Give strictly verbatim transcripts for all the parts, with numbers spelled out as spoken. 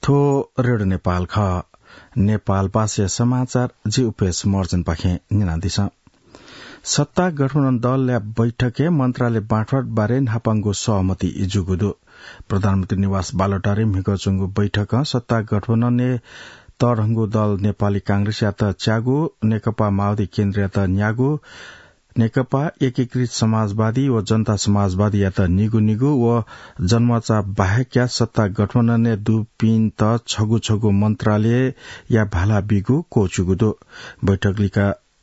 थ्व रेडियो नेपाल खः। नेपाल भाषाया समाचार जि उपेश महर्जनपाखें न्यनादिसँ। सत्ता गठबन्धन दलया बैठकय् मन्त्रालय बाँडफाँड बारे न्हापांगु सहमति जूगु दु। प्रधानमन्त्री निवास बालुवाटारय् म्हिगः च्वंगु बैठकं सत्ता गठबन्धनय् तःधंगु दल नेपाली कांग्रेसयात च्यागू, नेकपा माओवादी केन्द्रयात न्यागू, नेकपा एकीकृत समाजवादी व जनता समाजवादीयात निगू निगू व जनमोर्चा बाहेकया सत्ता गठबन्धनय् दुपिन्त छगू छगू मन्त्रालयया भाला बीगु क्वःछिउगु दु। बैठक लिक्क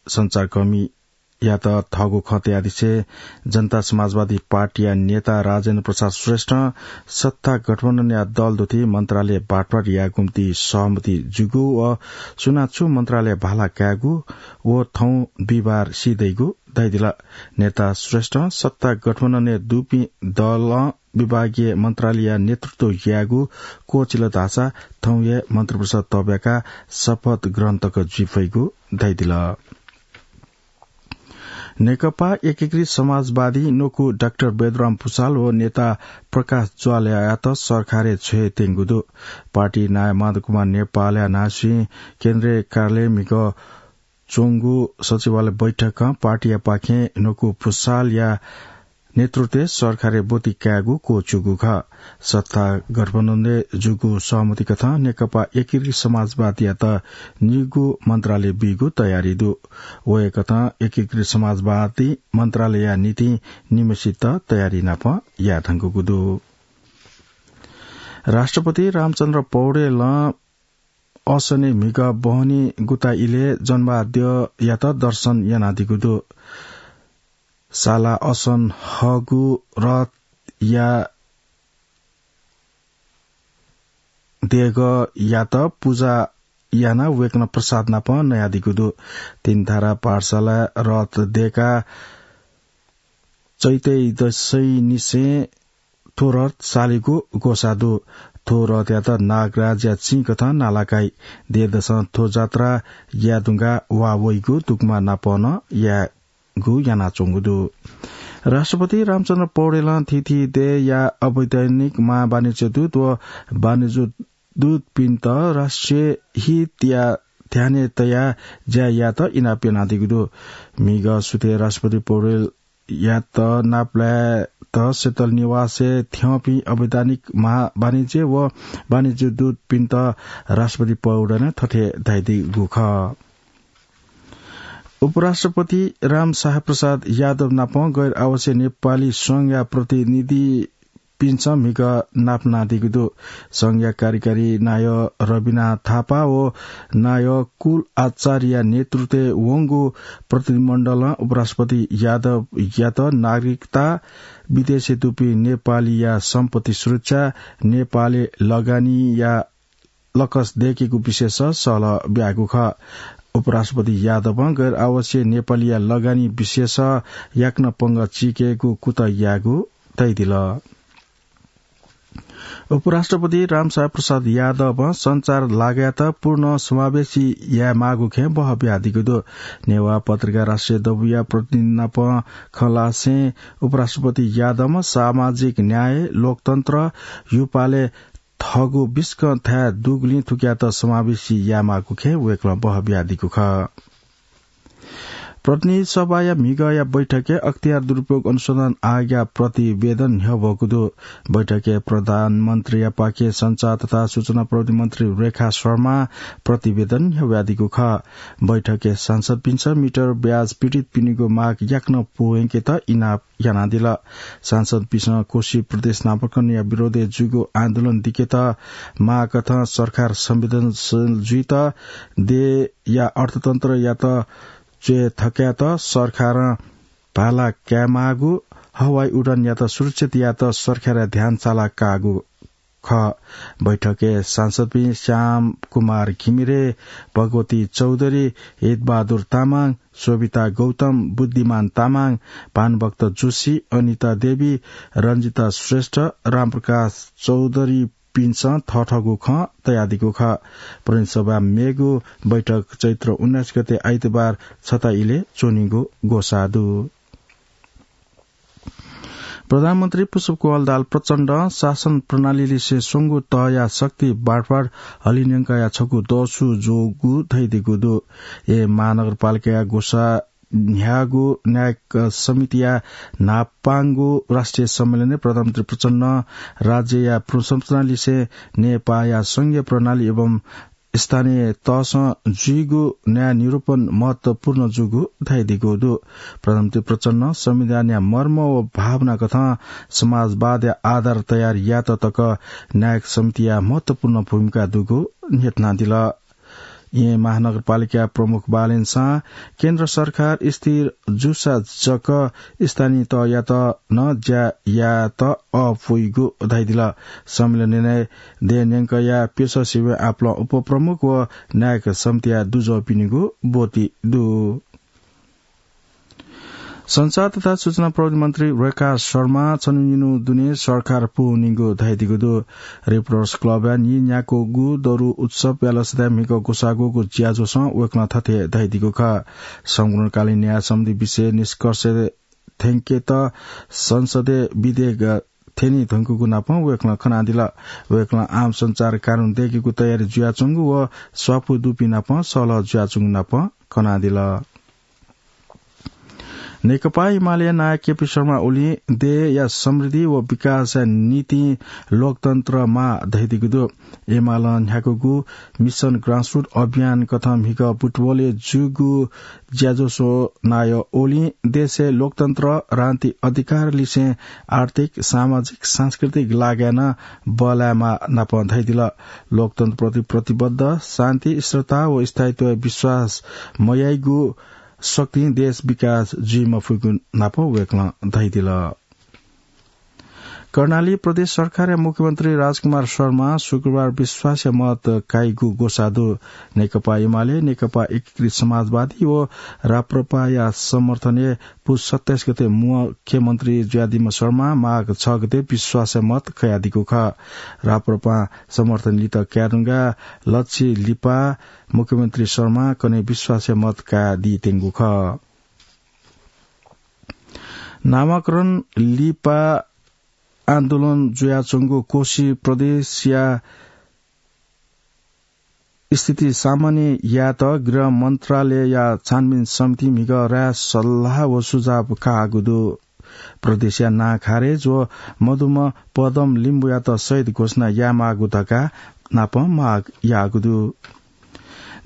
सञ्चारकर्मीयात थःगु खँ तयादिसें जनता समाजवादी पार्टीया नेता राजेन्द्र प्रसाद श्रेष्ठं सत्ता गठबन्धनया दल दुथि मन्त्रालय बाँडफाँड यायेगु निंतिं सहमति जूगु व सुनां छु मन्त्रालय भाला कायेगु व थौं बिहिबार सीदइगु धयादिल। नेता श्रेष्ठं सत्ता गठबन्धनय् दुपिं दलं विभागीय मन्त्रालयया नेतृत्व यायेगु क्वःछिल धाःसा थौं हे मन्त्रिपरिषद तःब्याकाः शपथ ग्रहण तक जुइ फइगु धयादिल। नेकपा एकीकृत समाजवादी न्वकू डाक्टर बैद्यराम भुसाल व नेता प्रकाश ज्वालायात सरकारय् छ्वये त्यंगु दु। पार्टी नायः माधव कुमार नेपालया न्हाय्‌सिं केन्द्रीय कार्यालय म्हिगः च्वंगु सचिवालय बैठकं पार्टीयापाखें न्वकू भुसालया नेतृत्वय् सरकारय् ब्वति कायेगु क्वःछिउगु खः। सत्ता गठबन्धनय् जूगु सहमति कथं नेकपा एकीकृत समाजवादीयात निगू मन्त्रालय बीगु तयारी दु। वय्‌कथं एकीकृत समाजवादी मन्त्रालयया निंतिं निम्हसित तयारी नाप याये धुंकूगु दु। राष्ट्रपति रामचन्द्र पौडेलं असनय् म्हिगः बहनी गुता इलय् जन्माद्यःयात दर्शन यानादीगु दु। साला असन हःगु रथया देगःयात पुजा यानाः वय्‌कलं प्रसाद नाप नयादीगु दु। तीनधारा पाठशाला रथ देकाः चैतय् दसैंनिसें थ्व रथ सालेगु ग्वसाः दु। थ्व रथयात नागराजया चिं कथं नालाकाइ। देय्‌दसं थ्व जात्रा याये धुंकाः वा वइगु दुग्मा नाप नं यायेगु यानाच्वंगु दु। राष्ट्रपति रामचन्द्र पौडेलं थीथी देय्‌या अवैधानिक महावाणिज्य दूत व वाणिज्य दूतपिन्त राष्ट्रिय हितया ध्यानय् तयाः ज्या यायेत इनाप यानादीगु दु। म्हिगः सुथय् राष्ट्रपति पौडेलयात नापलायेत शीतल निवासय् थ्यंपिं अवैधानिक महावाणिज्य व वाणिज्य दूतपिन्त राष्ट्रपति पौडेलं थथे धयादीगु खः। उपराष्ट्रपति रामसहाय प्रसाद यादव नाप गैर आवासीय नेपाली संघया प्रतिनिधि पिन्सं म्हिगः नापलानादीगु दु। संघया कार्यकारी नायः रविना थापा व नायः कुल आचार्यया नेतृत्वय् वंगु प्रतिनिधिमण्डलं उपराष्ट्रपति यादवयात नागरिकता, विदेशय् दुपिं नेपालीया सम्पत्ति सुरक्षा, नेपालय् लगानीया लकस दय्‌केगु विषयस सहलह ब्याःगु खः। उपराष्ट्रपति यादवं गैर आवासीय नेपालीया लगानी विषयस याकनं पंगः चीकेगु कुतः याःगु धयादिल। उपराष्ट्रपति रामसहाय प्रसाद यादवं संचार लागाय्‌त पूर्ण समावेशी यायेमाःगु खँय् बहः बियादीगु दु। नेवाः पत्रिका राष्ट्रिय दबूया प्रतिनिधि नाप खँ ल्हासें उपराष्ट्रपति यादवं सामाजिक न्याय, लोकतन्त्र, युपालय् थःगु बिस्कं थाय् दुगुलिं थुकियात समावेशी यायेमाःगु खँय् वय्‌कलं बहः बियादीगु खः। प्रतिनिधि सभाया म्हिगःया बैठकय् अख्तियार दुरुपयोग अनुसन्धान आयोगया प्रतिवेदन न्ह्यब्वःगु दु। बैठकय् प्रधानमन्त्रीयापाखें सञ्चार तथा सूचना प्रविधि मन्त्री रेखा शर्मां प्रतिवेदन न्ह्यब्वयादीगु खः। बैठकय् सांसदपिन्सं मिटर ब्याज पीडितपिनिगु माग याकनं पूवंकेत इनाप यानादिल। सांसदपिन्सं कोशी प्रदेश नामाकरणया विरोधय् जूगु आन्दोलन दिकेत माःकथं सरकार संवेदनशील जुइत देय्‌या अर्थतन्त्रयात च्वय् थकायेत सरकारं भाला कायेमाःगु, हवाई उडानयात सुरक्षित यायेत सरकारया ध्यान साला काःगु खः। बैठकय् सांसदपिं श्याम कुमार घिमिरे, भगवती चौधरी, हितबहादुर तामाङ, शोभिता गौतम, बुद्धिमान तामाङ, भानुभक्त जोशी, अनिता देवी, रञ्जिता श्रेष्ठ, रामप्रकाश चौधरीपिन्सं थःथःगु खँ तयादीगु खः। प्रतिनिधि सभा मेगु बैठक चैत्र उन्नाइस गते आइतबार छता इलय् च्वनीगु ग्वसाः दु। प्रधानमन्त्री पुष्पकमल दाहाल प्रचण्डं शासन प्रणालीलिसे स्वंगू तहया शक्ति बाँडफाँड हलिंन्यंकया छकू दसु जूगु धयादीगु दु। ए महानगरपालिकाया ग्वसाः न्ह्याःगु न्यायिक समितिया न्हापांगु राष्ट्रिय सम्मेलनय् प्रधानमन्त्री प्रचण्डं राज्यया पुनर्संरचनालिसे नेपाःया संघीय प्रणाली एवं स्थानीय तहसं जुइगु न्याय निरूपण महत्वपूर्ण जूगु धयादीगु दु। प्रधानमन्त्री प्रचण्डं संविधानया मर्म व भावना कथं समाजवादया आधार तयार यात तक न्यायिक समितिया महत्वपूर्ण भूमिका दुगु न्ह्यथनादिल। येँ महानगरपालिका प्रमुख बालेन शाहं केन्द्र सरकार स्थिर जूसा जक स्थानीय तहयात नं ज्या यायेत अःपुइगु धयादिल। सम्मेलनय् देय् न्यंकया प्यसः सिबें आपालं उपप्रमुख व न्यायिक समितिया दुजःपिनिगु ब्वति दु। संचार तथा सूचना प्रविधि मन्त्री रेखा शर्मां छन्हु निन्हु दुने सरकार पूवनीगु धयादीगु दु। रिपोर्टर्स क्लबया नीन्याक्वःगु दरु उत्सवया लसताय् म्हिगः ग्वसाः ग्वःगु ज्याझ्वलय् वय्कलं थथे धयादीगु खः। सम्पूर्णकालीन न्याय सम्बन्धी विषय निष्कर्ष थ्यंकेत संसदय् विधेयक थ्यने धुंकूगु नापं वय्कलं खनादिल। वय्कलं आम संचार कानून दय्केगु तयारी जुयाच्वंगु व स्वापू दुपिं नाप सहलह जुयाच्वंगु नाप खनादिल। नेकपा एमालेया नायः केपी शर्मा ओलीं देय्‌या समृद्धि व विकासया निंतिं लोकतन्त्र माः धयादीगु दु। एमालं न्ह्याकूगु मिसन ग्रासरुट अभियान कथं म्हिगः बुटवलय् जूगु ज्याझ्वलय् नायः ओलीं देशय् लोकतन्त्र, राजनीतिक अधिकार लिसें आर्थिक, सामाजिक, सांस्कृतिक लागाय् नं बल्लायेमाः नाप धयादिल। लोकतन्त्रप्रति प्रतिबद्ध, शान्ति, स्थिरता व स्थायित्वय् विश्वास मयाइगु शक्तिं देश विकास जुइ मफुइगु नाप वय्कलं धयादिल। कर्णाली प्रदेश सरकारया मुख्यमन्त्री राजकुमार शर्मां शुक्रबार विश्वासया मत काइगु ग्वसाः दु। नेकपा एमाले, नेकपा एकीकृत समाजवादी व राप्रपाया समर्थनय् पुस सत्ताइस गते मुख्यमन्त्री जुयादीम्ह शर्मां माघ छ गते विश्वासया मत कयादीगु खः। राप्रपां समर्थन लित कायेधुंकाः लच्छि लिपा मुख्यमन्त्री शर्मां कन्हय् विश्वासया मत कयादीत्यंगु खः। नामाकरण लिपा आन्दोलन जुयाच्वंगु कोशी प्रदेशया स्थिति सामान्य यायेत गृह मन्त्रालयया छानबिन समितिं म्हिगः राय सल्लाह व सुझाव काःगु दु। प्रदेशया नां खारेज व मदुम्ह पदम लिम्बुयात शहीद घोषणा यायेमाःगु धकाः नाप माग याःगु दु।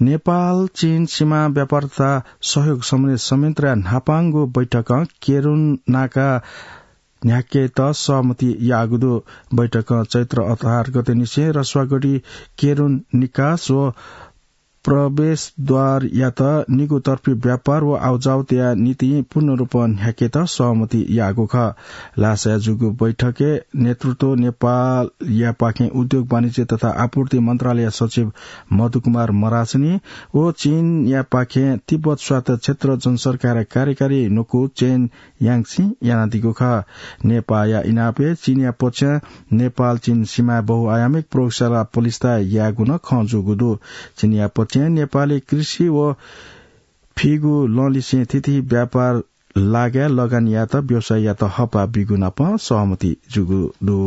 नेपाल चीन सीमा व्यापार तथा सहयोग सम्बन्धी संयन्त्रया न्हापांगु बैठकं केरुन नाका न्ह्याकेत सहमति याःगु दु। बैठकं चैत्र अठार गते निसें रसुवागढी केरुन निकास व प्रवेशद्वारयात निगू तर्फी व्यापार व आवजावतया निंतिं पूर्ण रूपं न्ह्याकेत सहमति याःगु खः। ल्हासाय् जूगु बैठकय् नेतृत्व नेपालयापाखें उद्योग वाणिज्य तथा आपूर्ति मन्त्रालय सचिव मधुकुमार मरासनी व चीनयापाखें तिब्बत स्वायत्त क्षेत्र जनसरकारया कार्यकारी न्वकू चेन याङसिं यानादीगु खः। नेपाःया इनापय् चीनया पक्षं नेपाल चीन सीमाय् बहुआयामिक प्रयोगशाला पलिस्था यायेगु नं खँ जूगु दु। चीनया पक्षं नेपालय् कृषि व फीगु लँलिसें थीथी व्यापार लागाय् लगानी यायेत व्यवसायीयात हःपाः बीगु नाप सहमति जूगु दु।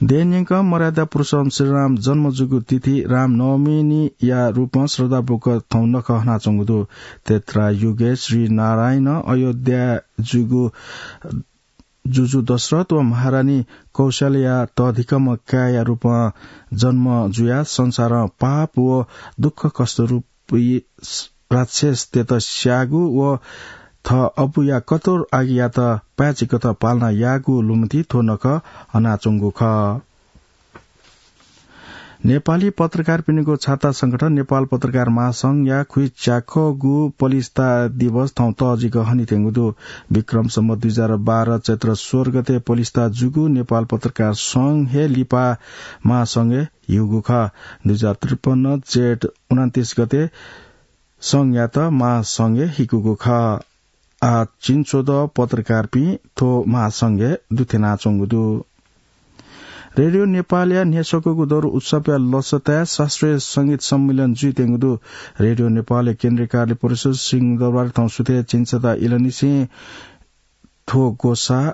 देय् न्यंकं मर्यादा पुरुषोत्तम श्रीराम जन्म जूगु तिथि रामनवमीया रूपं श्रद्धापूर्वक थौं नखः हनाच्वंगु दु। त्रेता युगय् श्री नारायणं अयोध्याय् जूगु जुजु दशरथ व महारानी कौशल्याया तःधिकःम्ह काय्‌या रूपं जन्म जुयाः संसारं पाप व दुःख कष्ट रूपी राक्षसतय्‌त स्याःगु व थः अबुया कठोर आज्ञायात पाय्‌छि कथं पालना याःगु लुमन्ति थ्व नखः हनाच्वंगु खः। नेपाली पत्रकारपिनिगु छाता संगठन नेपाल पत्रकार महासंघया खुइच्याखःगु पलिस्था दिवस थौं तःजिक हनेत्यंगु दु। विक्रम सम्वत दुई हजार बाह्र चैत्र सोह्र गते पलिस्था जूगु नेपाल पत्रकार संघ हे लिपा महासंघय् ह्यूगु खः। दुई हजार त्रिपन्न जेठ उनन्तीस गते संघयात महासंघय् हिकूगु खः। आः झिंछ्वदँ पत्रकारपिं थ्व महासंघय् दुथ्यानाच्वंगु दु। रेडियो नेपालया न्ह्यसक्वःगु दरु उत्सवया लसताय् शास्त्रीय संगीत सम्मेलन जुइत्यंगु दु। रेडियो नेपालया केन्द्रीय कार्य परिसर सिंहदरबार थौं सुथय् झिंछता इलंनिसें थ्व ग्वसाः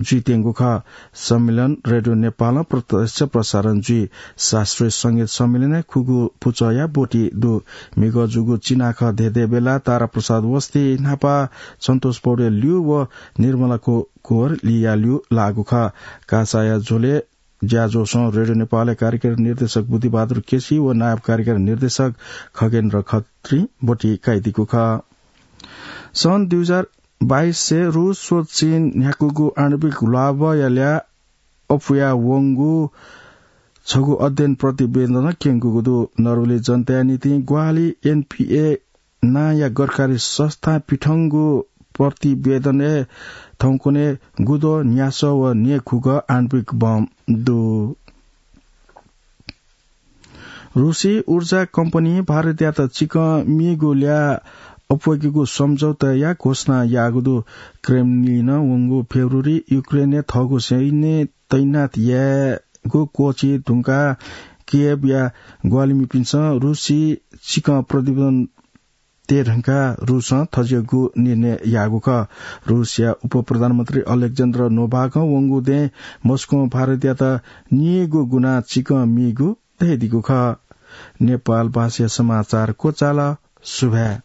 जुइत्यंगु खः। सम्मेलन रेडियो नेपालं प्रत्यक्ष प्रसारण जुइ। शास्त्रीय संगीत सम्मेलनय् खुगू पुचःया ब्वति दु। म्हिगः जूगु चिनाखः धेधे बेला तारा प्रसाद वस्ती न्हापा सन्तोष पौडेल ल्यू व निर्मला को-, कोर लिया ल्यू लाःगु खः। कासाया झ्वलय् ज्याझ्वलय् रेडियो नेपालया कार्यकारी निर्देशक बुद्धिबहादुर केसी व नायब कार्यकारी निर्देशक खगेन्द्र खत्री ब्वति काइदीगु खः। सन् दुई हजार बाइसय् रूस व चीन न्ह्याकूगु आणविक ल्वाभया ल्याः अप्वया वंगु छगू अध्ययन प्रतिवेदनं क्यंकूगु दु। नर्वेली जनताया निंतिं ग्वाहालि एनपिए नांया गरखारी संस्थां पिथंगु प्रतिवेदनय् थौंकन्हय् गुद्वः, न्यासः व न्येखुगः आणविक बम दु। रूसी ऊर्जा कम्पनीं भारतयात चिकं मीगु ल्याः अप्वयेकेगु सम्झौताया घोषणा याःगु दु। क्रेमलिनं वंगु फेब्रुअरी युक्रेनय् थःगु सैन्य तैनात यायेगु क्वःछी धुंकाः कियेवया ग्वाहालिमिपिन्सं रूसी चिकं प्रतिवेदन तये धुंकाः रूसं थज्याःगु निर्णय याःगु खः। रूसया उपप्रधानमन्त्री अलेक्जेन्द्र नोभाकं वंगु दँय् मस्कों भारतयात नीगु गुना चिकं मीगु धयादीगु खः। नेपाल भाषाया समाचार क्वचाल। सुभाय्।